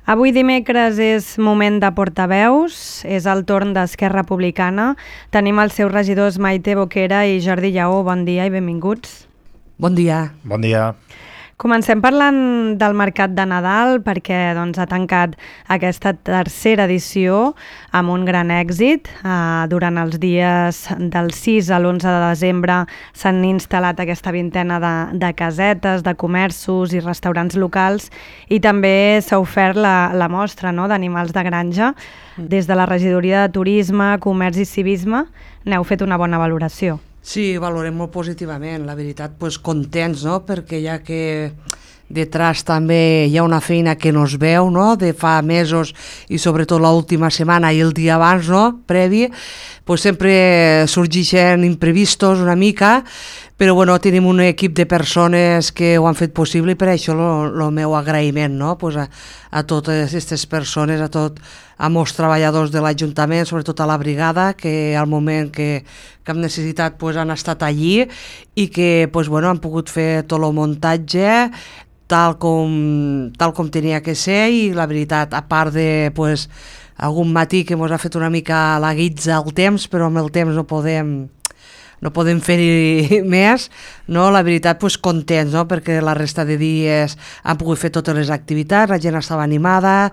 Avui dimecres és moment de portaveus, és el torn d'Esquerra Republicana. Tenim els seus regidors Maite Boquera i Jordi Lleó. Bon dia i benvinguts. Bon dia. Bon dia. Comencem parlant del mercat de Nadal perquè ha tancat aquesta tercera edició amb un gran èxit. Durant els dies del 6 a l'11 de desembre s'han instal·lat aquesta vintena de casetes, de comerços i restaurants locals i també s'ha ofert la mostra d'animals de granja. Des de la Regidoria de Turisme, Comerç i Civisme n'heu fet una bona valoració. Sí, valorem molt positivament, la veritat, contents, no? Perquè ja que detrás també hi ha una feina que no es veu, no? De fa mesos i sobretot l'última setmana i el dia abans, no? Previ, sempre sorgeixen imprevistos una mica, però tenim un equip de persones que ho han fet possible i per això el meu agraïment, no? A totes aquestes persones, a molts treballadors de l'Ajuntament, sobretot a la brigada, que al moment que hem necessitat han estat allí i que han pogut fer tot el muntatge tal com tenia que ser i la veritat, a part de algun matí que ens ha fet una mica la guitza al temps, però amb el temps no podem fer més, no? La veritat, contents, no? Perquè la resta de dies han pogut fer totes les activitats, la gent estava animada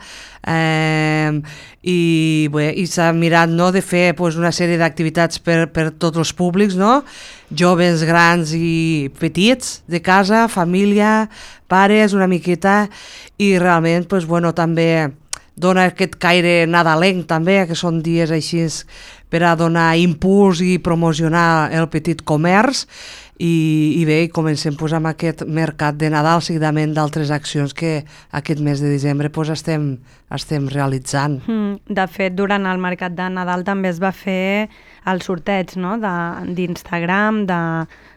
i s'ha mirat, no? De fer una sèrie d'activitats per tots els públics, no? Joves, grans i petits, de casa, família, pares, una miqueta, i realment també dona aquest caire nadalenc també, que són dies així per a donar impuls i promocionar el petit comerç i bé, comencem amb aquest mercat de Nadal seguidament d'altres accions que aquest mes de desembre estem realitzant. De fet, durant el mercat de Nadal també es va fer el sorteig, no? d'Instagram,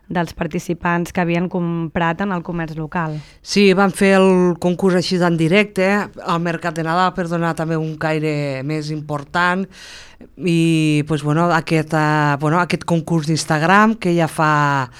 dels participants que havien comprat en el comerç local. Sí, van fer el concurs així en directe al Mercat de Nadal per donar també un caire més important i aquest concurs d'Instagram que ja fa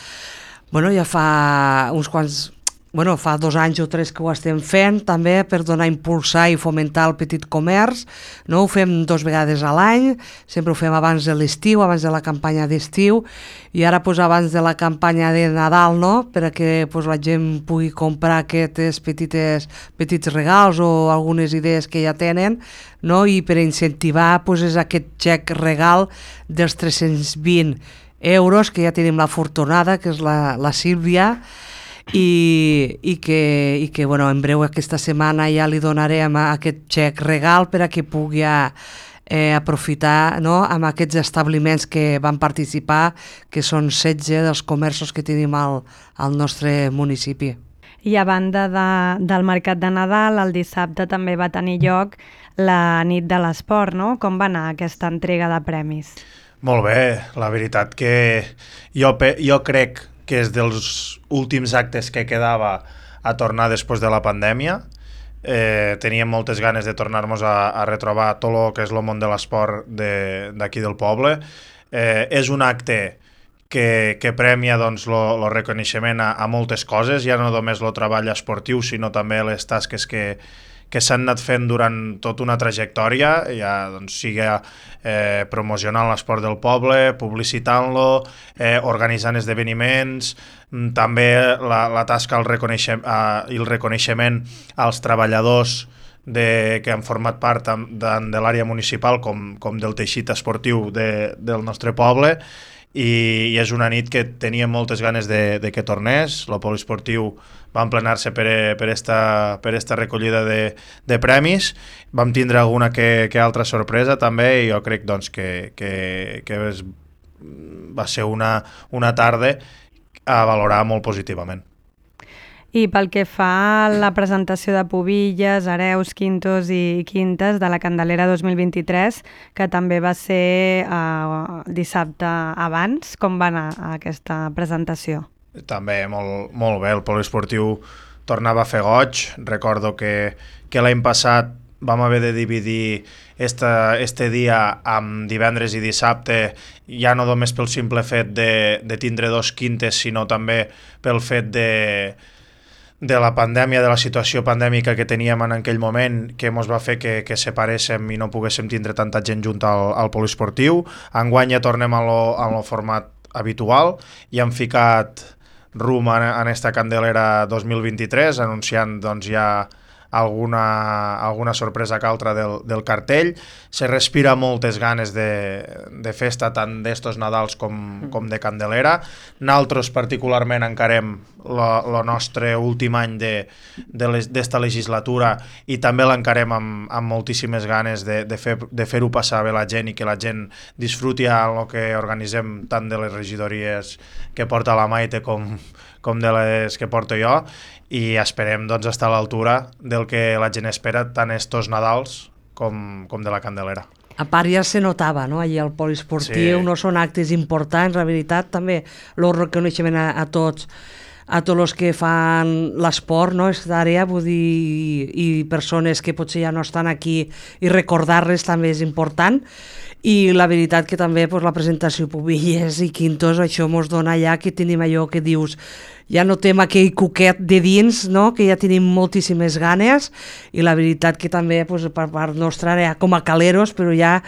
uns quants... fa 2 anys o 3 que ho estem fent també per donar, impulsar i fomentar el petit comerç, no? Ho fem 2 vegades a l'any, sempre ho fem abans de l'estiu, abans de la campanya d'estiu i ara abans de la campanya de Nadal, no? Perquè la gent pugui comprar aquests petits regals o algunes idees que ja tenen, no? I per incentivar és aquest xec regal dels 320 euros que ja tenim l'afortunada, que és la Sílvia, i que en breu aquesta setmana ja li donarem aquest xec regal per a que pugui aprofitar, no? Amb aquests establiments que van participar, que són 16 dels comerços que tenim al nostre municipi. I a banda del mercat de Nadal, el dissabte també va tenir lloc la nit de l'esport, no? Com va anar aquesta entrega de premis? Molt bé, la veritat que jo crec que és dels últims actes que quedava a tornar després de la pandèmia. Teníem moltes ganes de tornar-nos a retrobar tot el que és el món de l'esport d'aquí del poble. És un acte que premia el reconeixement a moltes coses, ja no només el treball esportiu, sinó també les tasques que s'han anat fent durant tota una trajectòria, ja sigui promocionant l'esport del poble, publicitant-lo, organitzant esdeveniments, també la tasca i el reconeixement als treballadors que han format part tant de l'àrea municipal com del teixit esportiu del nostre poble, i és una nit que teníem moltes ganes de que tornés. El poliesportiu va emplenar-se per esta recollida de premis. Vam tindre alguna que altra sorpresa també i jo crec que va ser una tarda a valorar molt positivament. I pel que fa a la presentació de pubilles, hereus, quintos i quintes de la Candelera 2023, que també va ser dissabte abans, com va anar aquesta presentació? També molt bé, el poliesportiu tornava a fer goig. Recordo que l'any passat vam haver de dividir este dia amb divendres i dissabte, ja no només pel simple fet de tindre 2 quintes, sinó també pel fet de la pandèmia, de la situació pandèmica que teníem en aquell moment, que ens va fer que separéssim i no poguéssim tindre tanta gent junta al poliesportiu. Enguany ja tornem a lo format habitual i hem ficat rumb en esta Candelera 2023, anunciant doncs, ja alguna sorpresa que altra del cartell. Se respira moltes ganes de festa, tant d'estos Nadals com de Candelera. Nosaltres particularment encarem el nostre últim any d'esta legislatura i també l'encarem amb moltíssimes ganes de fer-ho passar bé la gent i que la gent disfruti el que organitzem, tant de les regidories que porta la Maite com de les que porto jo, i esperem doncs, estar a l'altura del que la gent espera tant estos Nadals com de la Candelera. A part ja se notava, no? Allí al poliesportiu, sí. No són actes importants, la veritat, també el reconeixement a tots els que fan l'esport, no? Aquesta àrea, vull dir, i persones que potser ja no estan aquí, i recordar-les també és important. I la veritat que també pues, la presentació Pubilles i Quintos, això mos dona ja que tenim allò que dius, ja notem aquell cuquet de dins, no? Que ja tenim moltíssimes ganes, i la veritat que també pues, per part nostra ja com a caleros, però ja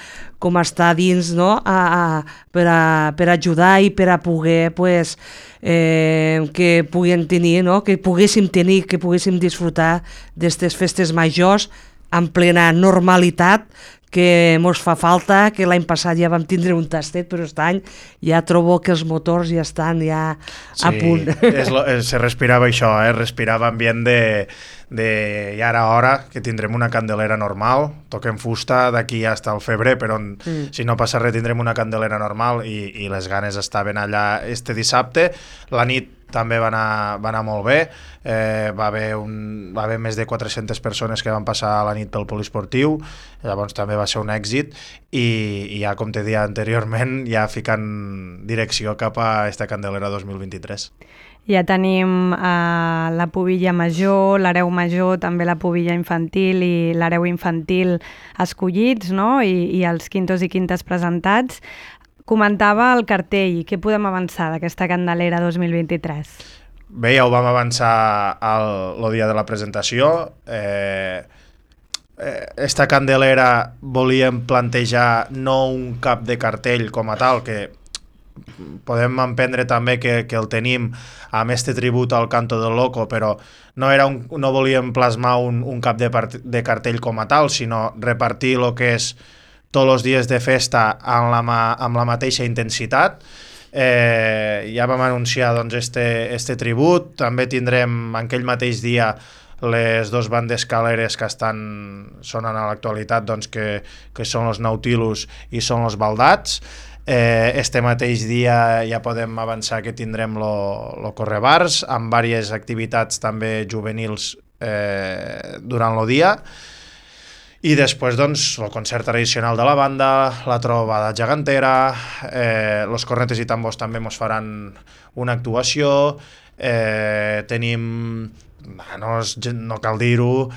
com està dins, no? Per ajudar i per a poder pues, que puguem tenir, no? Que poguéssim tenir, que poguéssim disfrutar d'aquestes festes majors en plena normalitat, que mos fa falta, que l'any passat ja vam tindre un tastet, però aquest any ja trobo que els motors ja estan a punt. Se respirava això, respirava ambient i ara hora que tindrem una Candelera normal, toquem fusta d'aquí fins al febrer, però si no passa res tindrem una Candelera normal i les ganes estaven allà este dissabte. La nit també va anar molt bé, va haver més de 400 persones que van passar la nit pel poliesportiu, llavors també va ser un èxit i ja, com te deia anteriorment, ja ficant direcció cap a esta Candelera 2023. Ja tenim la pubilla major, l'hereu major, també la pubilla infantil i l'hereu infantil escollits, no? I els quintos i quintes presentats. Comentava el cartell, què podem avançar d'aquesta Candelera 2023? Bé, ja ho vam avançar el dia de la presentació. Esta Candelera volíem plantejar no un cap de cartell com a tal, que podem emprendre també que el tenim amb este tribut al Canto del Loco, però no volíem plasmar un cap de cartell com a tal, sinó repartir el que és tots els dies de festa amb la mateixa intensitat. Ja vam anunciar doncs, este tribut. També tindrem aquell mateix dia les dos bandes caleres que sonen a l'actualitat, doncs, que són els Nautilus i són els Baldats. Este mateix dia ja podem avançar que tindrem lo Correbars, amb diverses activitats també juvenils durant el dia. I després, doncs, el concert tradicional de la banda, la trobada gegantera, los cornetes i tambors també ens faran una actuació, tenim, no cal dir-ho,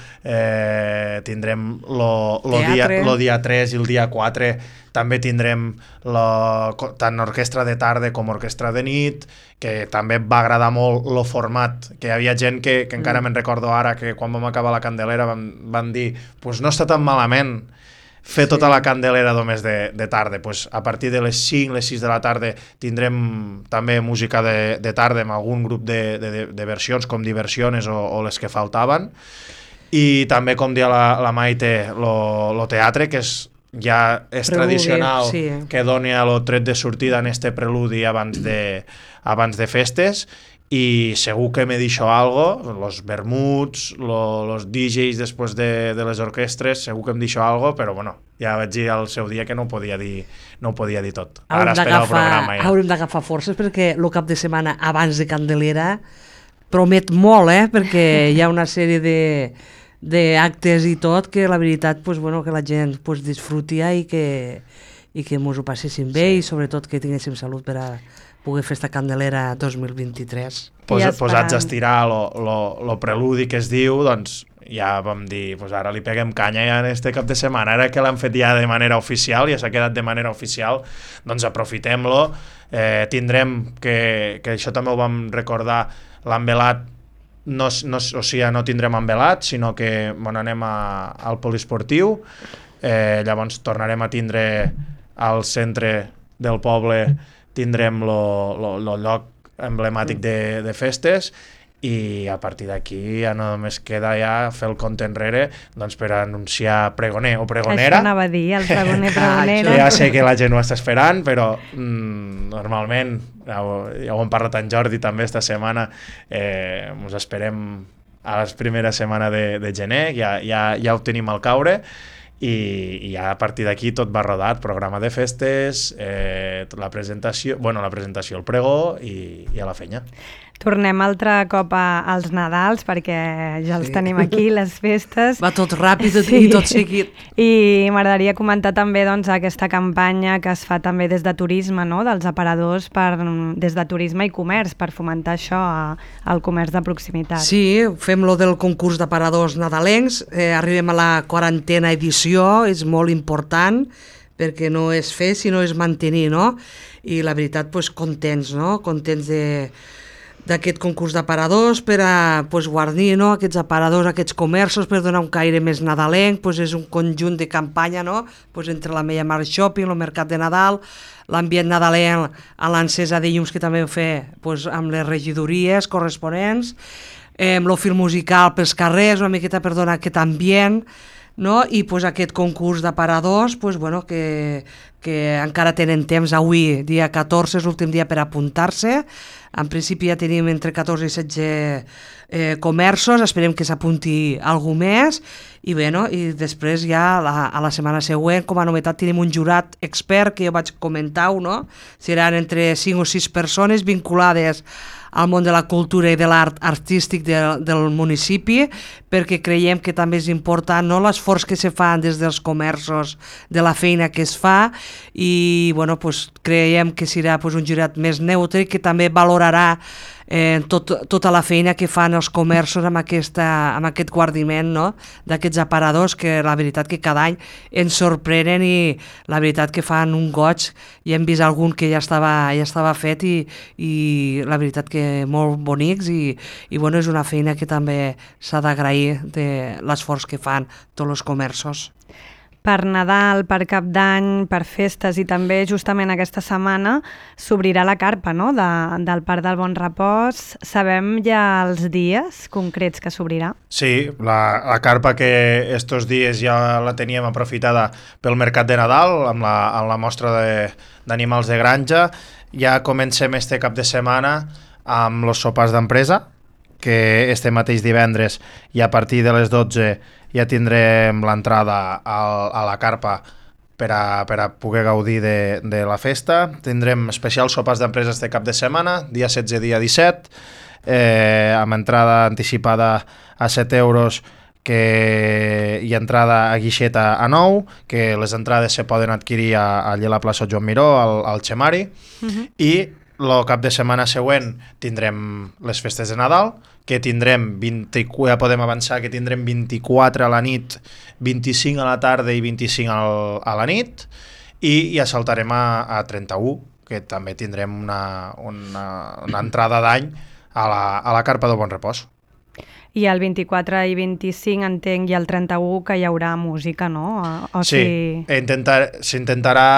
tindrem el dia 3 i el dia 4, també tindrem tant orquestra de tarda com orquestra de nit, que també va agradar molt el format, que hi havia gent que encara me'n recordo ara, que quan vam acabar la Candelera van dir, pues no està tan malament fer tota la Candelera només de tarda. Pues a partir de les 5, les 6 de la tarda tindrem també música de tarda amb algun grup de versions com Diversiones o les que faltaven, i també, com deia la Maite, lo teatre, que ja és tradicional, sí, que doni el tret de sortida en este preludi abans de festes, i segur que me deixo algo, los vermuts, los DJs després de les orquestres, segur que em deixo algo, però bueno, ja vaig dir al seu dia que no ho podia dir tot. Ara espera el programa ja. Haurem d'agafar forces perquè el cap de setmana abans de Candelera promet molt, perquè hi ha una sèrie d'actes i tot, que la veritat, pues, bueno, que la gent pues, disfruti i que mos ho passéssim bé, i sobretot que tinguéssim salut per a poder fer esta Candelera 2023. Posats a estirar lo preludi que es diu, doncs ja vam dir, pues ara li peguem canya ja en este cap de setmana, ara que l'han fet ja de manera oficial, ja s'ha quedat de manera oficial, doncs aprofitem-lo. Tindrem, que això també ho vam recordar, l'han velat o sigui, no tindrem envelat, sinó que anem al poliesportiu, llavors tornarem a tindre al centre del poble, tindrem el lloc emblemàtic de festes, i a partir d'aquí ja només queda ja fer el compte enrere doncs, per anunciar pregoner o pregonera. Això anava a dir, el pregoner, pregonera. Ja sé que la gent ho està esperant, però normalment, ja ho hem parlat en Jordi també esta setmana, ens esperem a la primera setmana de gener, ja ho tenim al caure, i ja a partir d'aquí tot va rodat, programa de festes, la presentació, el pregó i a la fenya. Tornem altre cop als Nadals, perquè ja els tenim aquí, les festes. Va tot ràpid i tot seguit. I m'agradaria comentar també doncs, aquesta campanya que es fa també des de turisme, no? Dels aparadors, des de turisme i comerç, per fomentar això, el comerç de proximitat. Sí, fem lo del concurs d'aparadors nadalencs, arribem a la 40a edició, és molt important, perquè no és fer, sinó és mantenir, no? I la veritat, doncs, contents, no? Contents d'aquest concurs d'aparadors per a guarnir, no? Aquests aparadors, aquests comerços, per donar un caire més nadalenc, és un conjunt de campanya, no? Entre la Meia Mar Shopping, el Mercat de Nadal, l'ambient nadalenc a l'encesa de llums que també ho fer amb les regidories corresponents, el fil musical pels carrers, una miqueta per donar aquest ambient, no? I aquest concurs d'aparadors que encara tenen temps avui, dia 14, és l'últim dia per apuntar-se. En principi ja tenim entre 14 i 16 comerços, esperem que s'apunti algú més, i després ja a la setmana següent, com a novetat, tenim un jurat expert que jo vaig comentar-ho, no? Seran entre 5 o 6 persones vinculades al món de la cultura i de l'art artístic del municipi, perquè creiem que també és important, no?, l'esforç que se fan des dels comerços, de la feina que es fa, i creiem que serà un jurat més neutre que també valorarà tota la feina que fan els comerços amb aquest guardiment, no?, d'aquests aparadors, que la veritat que cada any ens sorprenen i la veritat que fan un goig, i hem vist algun que ja estava fet i la veritat que molt bonics, i és una feina que també s'ha d'agrair de l'esforç que fan tots els comerços. Per Nadal, per Cap d'Any, per festes, i també justament aquesta setmana s'obrirà la carpa, no?, del Parc del Bon Repòs. Sabem ja els dies concrets que s'obrirà? Sí, la carpa que estos dies ja la teníem aprofitada pel Mercat de Nadal, amb la mostra d'animals de granja. Ja comencem este cap de setmana amb els sopars d'empresa, que este mateix divendres, i a partir de les 12 ja tindrem l'entrada a la carpa per a poder gaudir de la festa. Tindrem especials sopars d'empresa este cap de setmana, dia 16, dia 17, amb entrada anticipada a 7 euros i entrada a guixeta a 9, que les entrades se poden adquirir allà a la plaça Joan Miró, al Xemari, i el cap de setmana següent tindrem les festes de Nadal, que tindrem ja podem avançar que tindrem 24 a la nit, 25 a la tarda i 25 a la nit, i ja saltarem a 31, que també tindrem una entrada d'any a la carpa del Bon Repòs. I el 24 i 25 entenc, i el 31 que hi haurà música, no? Sí, s'intentarà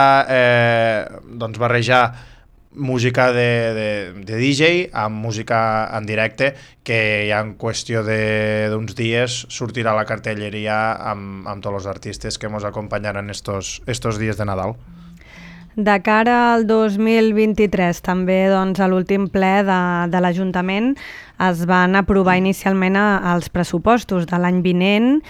barrejar música de DJ amb música en directe, que ja en qüestió d'uns dies sortirà la cartelleria amb tots els artistes que ens acompanyaran estos dies de Nadal. De cara al 2023, també doncs, a l'últim ple de l'Ajuntament es van aprovar inicialment els pressupostos de l'any vinent.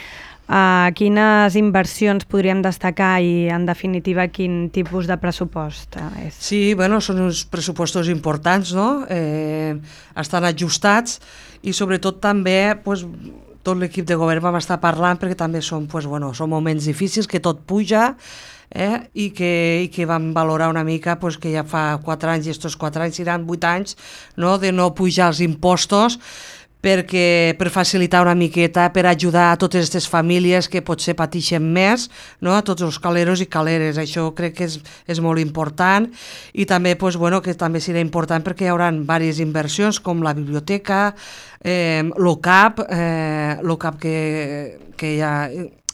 Quines inversions podríem destacar i, en definitiva, quin tipus de pressupost és? Sí, són uns pressupostos importants, no? Estan ajustats, i sobretot també tot l'equip de govern vam estar parlant, perquè també són moments difícils, que tot puja, i que vam valorar una mica que ja fa 4 anys, i estos 4 anys seran 8 anys, no?, de no pujar els impostos, per facilitar una miqueta, per ajudar a totes aquestes famílies que potser pateixen més, no? A tots els caleros i caleres. Això crec que és molt important, i també, pues, bueno, que també serà important perquè hi haurà diverses inversions com la biblioteca, l'OCAP,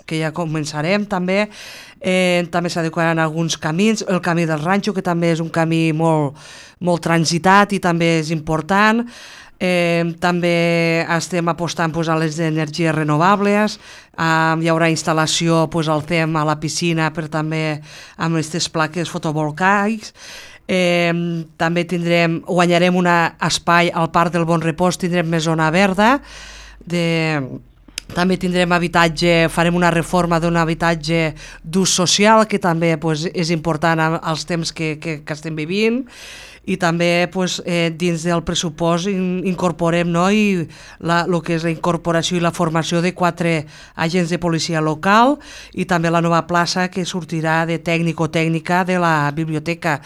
que ja començarem també. També s'adequaran alguns camins, el camí del Ranxo, que també és un camí molt transitat i també és important. També estem apostant a les energies renovables, hi haurà instal·lació al CEM a la piscina per també amb aquestes plaques fotovoltaics. També guanyarem un espai al Parc del Bon Repòs, tindrem més zona verda, també tindrem habitatge, farem una reforma d'un habitatge d'ús social, que també és important als temps que estem vivint, i també dins del pressupost incorporem el que és la incorporació i la formació de 4 agents de policia local, i també la nova plaça que sortirà de tècnic o tècnica de la biblioteca.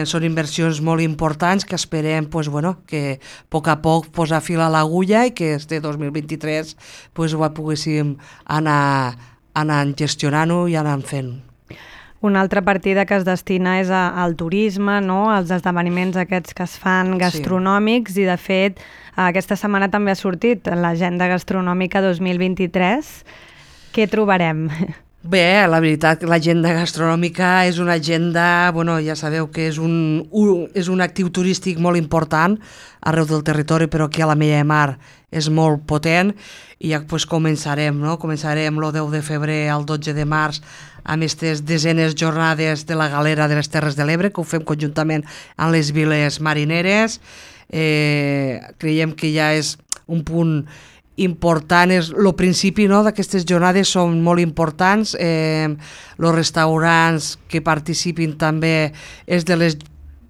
Són inversions molt importants que esperem que a poc posar fil a l'agulla i que este 2023 ho poguéssim anar gestionant-ho i anar fent. Una altra partida que es destina és al turisme, no? Als esdeveniments aquests que es fan gastronòmics, sí. I de fet aquesta setmana també ha sortit l'agenda gastronòmica 2023. Què trobarem? Bé, la veritat que l'agenda gastronòmica és una agenda, ja sabeu que és un actiu turístic molt important arreu del territori, però aquí a la Mella de Mar és molt potent, i ja començarem el 10 de febrer al 12 de març amb aquestes desenes jornades de la Galera de les Terres de l'Ebre, que ho fem conjuntament amb les viles marineres. Creiem que ja és un punt important, el principi d'aquestes jornades són molt importants. Els restaurants que participin també és de les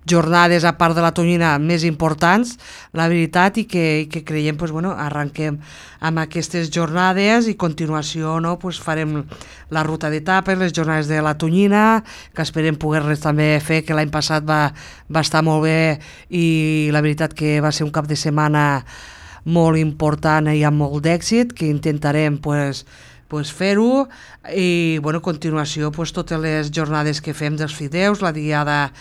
jornades, a part de la tonyina, més importants, la veritat, i que creiem arrenquem amb aquestes jornades, i a continuació farem la ruta d'etapes, les jornades de la tonyina, que esperem poder-les també fer, que l'any passat va estar molt bé, i la veritat que va ser un cap de setmana molt important i amb molt d'èxit, que intentarem fer-ho, i a continuació totes les jornades que fem dels fideus, la diada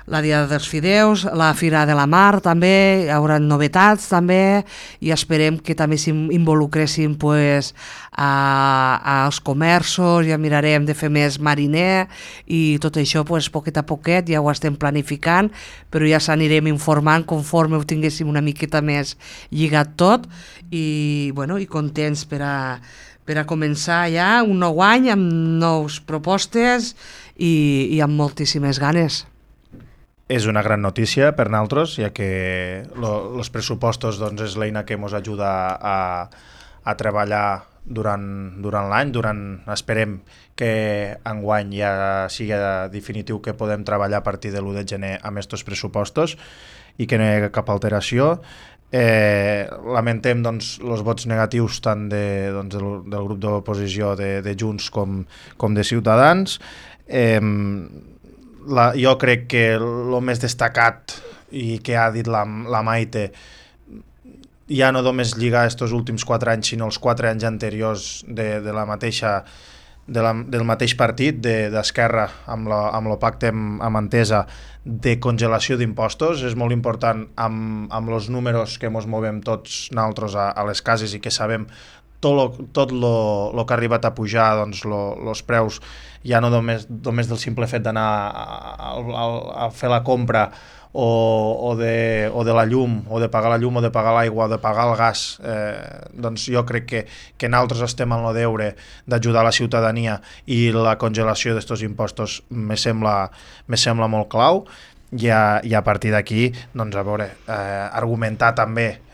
dels fideus, la Fira de la Mar també, hi haurà novetats també, i esperem que també s'involucressin als comerços, ja mirarem de fer més mariner, i tot això poquet a poquet ja ho estem planificant, però ja s'anirem informant conforme ho tinguéssim una miqueta més lligat tot, i contents per a començar ja un nou any amb nous propostes i amb moltíssimes ganes. És una gran notícia per nosaltres, ja que els pressupostos és l'eina que ens ajuda a treballar durant l'any. Esperem que enguany ja sigui definitiu que podem treballar a partir de l'1 de gener amb aquests pressupostos i que no hi hagi cap alteració. Lamentem els vots negatius tant del grup d'oposició de Junts com de Ciutadans. Jo crec que el més destacat i que ha dit la Maite, ja no només lligar aquests últims 4 anys, sinó els 4 anys anteriors del mateix partit d'Esquerra amb el pacte amb Entesa de congelació d'impostos. És molt important amb els números que ens movem tots nosaltres a les cases i que sabem tot el que ha arribat a pujar, els preus, ja no només del simple fet d'anar a fer la compra o de la llum, o de pagar la llum, o de pagar l'aigua, o de pagar el gas. Jo crec que nosaltres estem en el deure d'ajudar la ciutadania, i la congelació d'aquests impostos me sembla molt clau, i a partir d'aquí argumentar també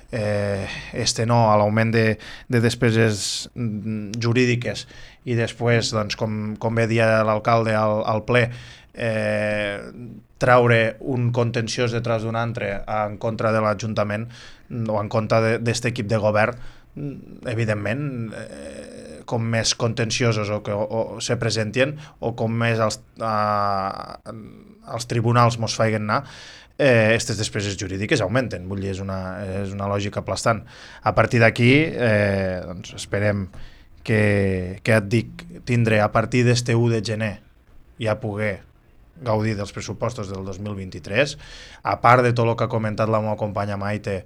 no a l'augment de despeses jurídiques, i després, com bé dia l'alcalde al ple, traure un contenciós detrás d'un altre en contra de l'Ajuntament o en contra d'aquest equip de govern. Evidentment, com més contenciosos o se presenten o com més els tribunals mos feien anar, aquestes despeses jurídiques augmenten, vull dir, és una lògica aplastant. A partir d'aquí, doncs esperem que et dic, tindré a partir d'este 1 de gener ja poder gaudir dels pressupostos del 2023, a part de tot el que ha comentat la meva companya Maite,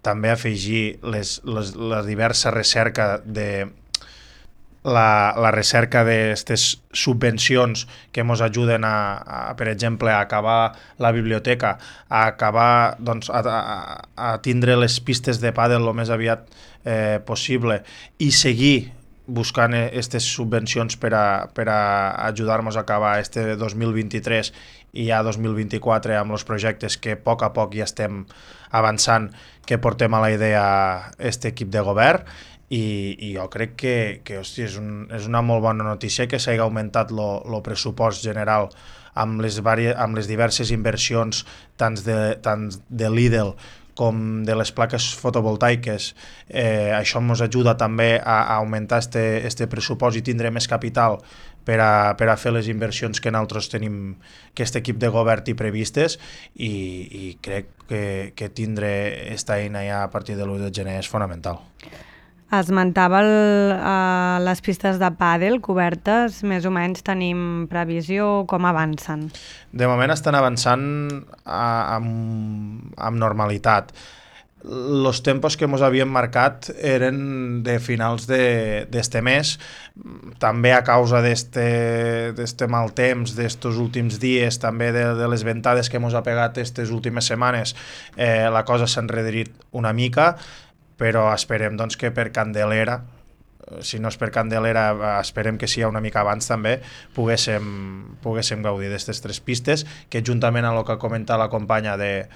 també afegir la diversa recerca la recerca d'aquestes subvencions que ens ajuden per exemple, a acabar la biblioteca, a acabar, doncs, a tindre les pistes de pàdel el més aviat possible i seguir buscant aquestes subvencions per a ajudar-nos a acabar este 2023 i ja 2024 amb els projectes que a poc ja estem avançant, que portem a la idea aquest equip de govern. I jo crec que hòstia, és una molt bona notícia que s'hagi augmentat el pressupost general amb les diverses inversions tant de Lidl com de les plaques fotovoltaiques. Això ens ajuda també a augmentar este pressupost i tindre més capital per a fer les inversions que nosaltres tenim, que aquest equip de govern té previstes, i crec que tindre aquesta eina ja a partir de l'1 de gener és fonamental. Esmentava les pistes de pàdel cobertes, més o menys tenim previsió, com avancen? De moment estan avançant amb normalitat. Els tempos que ens havíem marcat eren de finals d'este mes, també a causa d'este mal temps, d'estos últims dies, també de les ventades que ens ha pegat aquestes últimes setmanes, la cosa s'ha enrederit una mica, però esperem doncs, que per Candelera, si no és per Candelera, esperem que sigui una mica abans també, poguéssim gaudir d'aquestes 3 pistes, que juntament amb el que ha comentat la companya de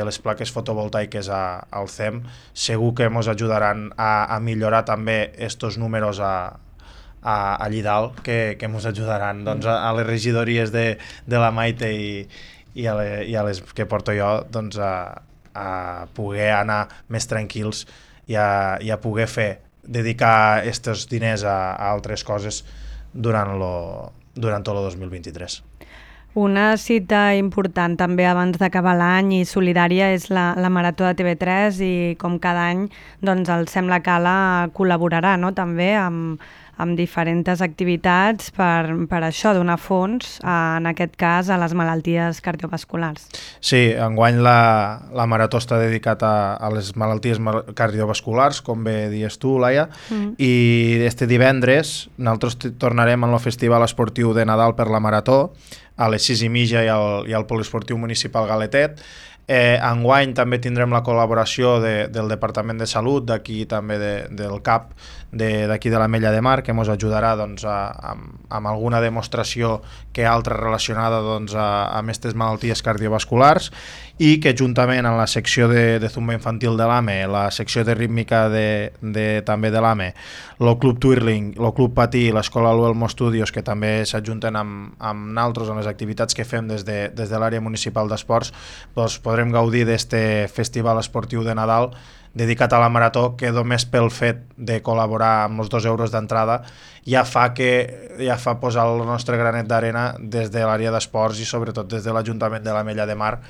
les plaques fotovoltaiques al CEM, segur que ens ajudaran a millorar també aquests números allí dalt, que ens ajudaran doncs, a les regidories de la Maite i a les que porto jo, doncs, a poder anar més tranquils i a poder dedicar aquests diners a altres coses durant tot el 2023. Una cita important també abans d'acabar l'any i solidària és la Marató de TV3, i com cada any doncs, el Sem la Cala col·laborarà, no? També amb diferents activitats per això, donar fons, en aquest cas, a les malalties cardiovasculars. Sí, enguany la Marató està dedicat a les malalties cardiovasculars, com bé dius tu, Laia, i este divendres nosaltres tornarem al Festival Esportiu de Nadal per la Marató, a les 6:30 i al Poliesportiu Municipal Galetet. Enguany també tindrem la col·laboració del Departament de Salut, d'aquí també del CAP, d'aquí de l'Ametlla de Mar, que ens ajudarà doncs, amb alguna demostració que altra relacionada doncs, amb aquestes malalties cardiovasculars, i que juntament amb la secció de zumba infantil de l'AME, la secció de rítmica també de l'AME, el Club Twirling, el Club Patí i l'Escola Luelmo Studios, que també s'ajunten amb nosaltres en les activitats que fem des de l'àrea municipal d'esports, doncs podrem gaudir d'aquest festival esportiu de Nadal dedicat a la Marató, que només pel fet de col·laborar amb els 2 euros d'entrada ja fa posar el nostre granet d'arena des de l'àrea d'esports i sobretot des de l'Ajuntament de l'Ametlla de Mar,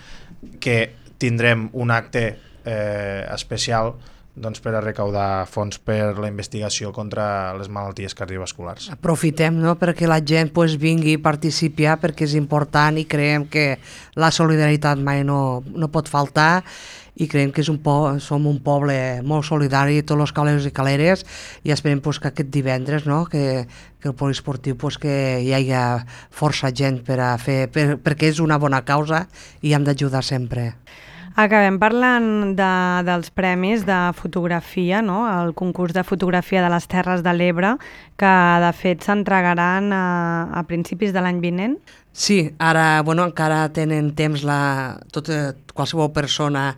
que tindrem un acte especial doncs, per a recaudar fons per la investigació contra les malalties cardiovasculars. Aprofitem, no?, perquè la gent vingui a participar, perquè és important i creiem que la solidaritat mai no pot faltar, i creiem que som un poble molt solidari, tots els caleros i caleres, i esperem que aquest divendres, no?, que el poliesportiu que hi hagi força gent per a fer, perquè és una bona causa i hem d'ajudar sempre. Acabem parlant dels premis de fotografia, no? El concurs de fotografia de les Terres de l'Ebre, que de fet s'entregaran a principis de l'any vinent. Sí, ara encara tenen temps qualsevol persona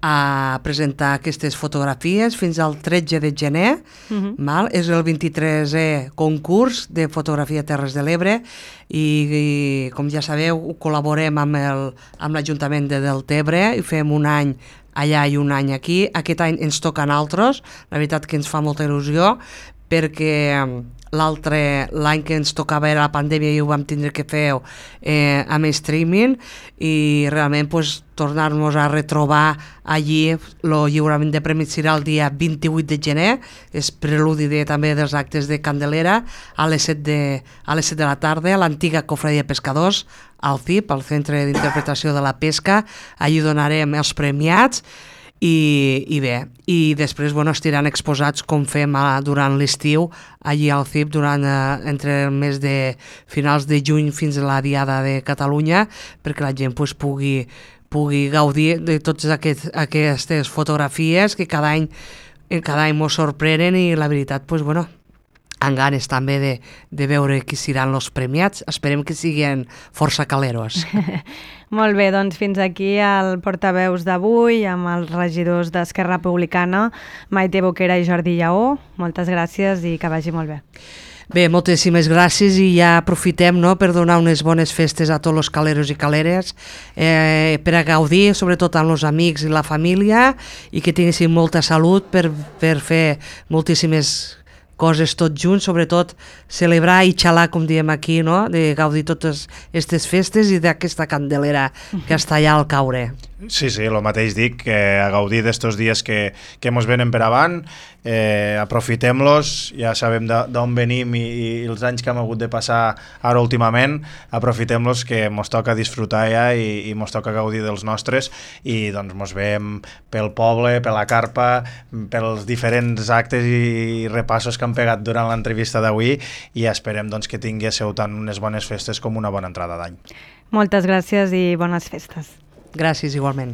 a presentar aquestes fotografies fins al 13 de gener. És el 23è concurs de fotografia Terres de l'Ebre i com ja sabeu, col·laborem amb l'Ajuntament de Deltebre i fem un any allà i un any aquí. Aquest any ens toca a nosaltres, la veritat que ens fa molta il·lusió, perquè l'any que ens tocava era la pandèmia i ho vam tindre que fer amb streaming, i realment tornar-nos a retrobar allí. El lliurament de premis serà el dia 28 de gener, és preludi també dels actes de Candelera, a les 7 de la tarda, a l'antiga Cofradia de Pescadors, al CIP, al Centre d'Interpretació de la Pesca. Allí donarem els premiats. I bé, i després estiran exposats com fem durant l'estiu allí al CIP entre el mes de finals de juny fins a la Diada de Catalunya, perquè la gent pugui gaudir de totes aquestes fotografies que cada any ens sorprenen, i la veritat, amb ganes també de veure qui seran els premiats. Esperem que siguin força caleros. Molt bé, doncs fins aquí el portaveus d'avui amb els regidors d'Esquerra Republicana, Maite Boquera i Jordi Lleó. Moltes gràcies i que vagi molt bé. Bé, moltíssimes gràcies, i ja aprofitem per donar unes bones festes a tots els caleros i caleres, per a gaudir, sobretot amb els amics i la família, i que tinguessin molta salut per fer moltíssimes coses tots junts, sobretot celebrar i xalar, com diem aquí, no? De gaudir totes aquestes festes i d'aquesta Candelera que està allà al caure. Sí, el mateix dic, a gaudir d'estos dies que mos venen per avant, aprofitem-los, ja sabem d'on venim i els anys que hem hagut de passar ara últimament, aprofitem-los, que mos toca disfrutar ja i mos toca gaudir dels nostres, i doncs mos veiem pel poble, per la carpa, pels diferents actes i repassos que han pegat durant l'entrevista d'avui, i esperem que tinguéssiu tant unes bones festes com una bona entrada d'any. Moltes gràcies i bones festes. Gràcies, igualment.